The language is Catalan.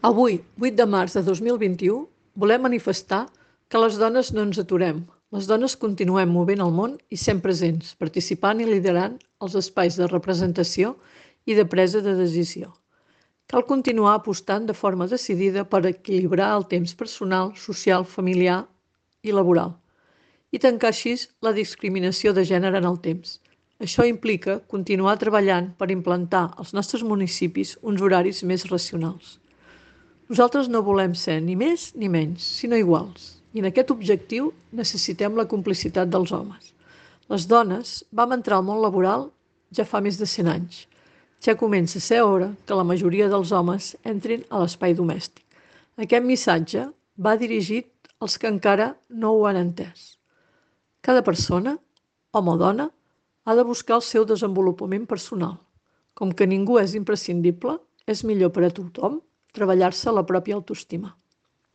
Avui, 8 de març de 2021, volem manifestar que les dones no ens aturem. Les dones continuem movent el món i sent presents, participant i liderant els espais de representació i de presa de decisió. Cal continuar apostant de forma decidida per equilibrar el temps personal, social, familiar i laboral i tancar així la discriminació de gènere en el temps. Això implica continuar treballant per implantar als nostres municipis uns horaris més racionals. Nosaltres no volem ser ni més ni menys, sinó iguals. I en aquest objectiu necessitem la complicitat dels homes. Les dones vam entrar al món laboral ja fa més de 100 anys. Ja comença a ser hora que la majoria dels homes entrin a l'espai domèstic. Aquest missatge va dirigit als que encara no ho han entès. Cada persona, home o dona, ha de buscar el seu desenvolupament personal. Com que ningú és imprescindible, és millor per a tothom treballar-se la pròpia autoestima.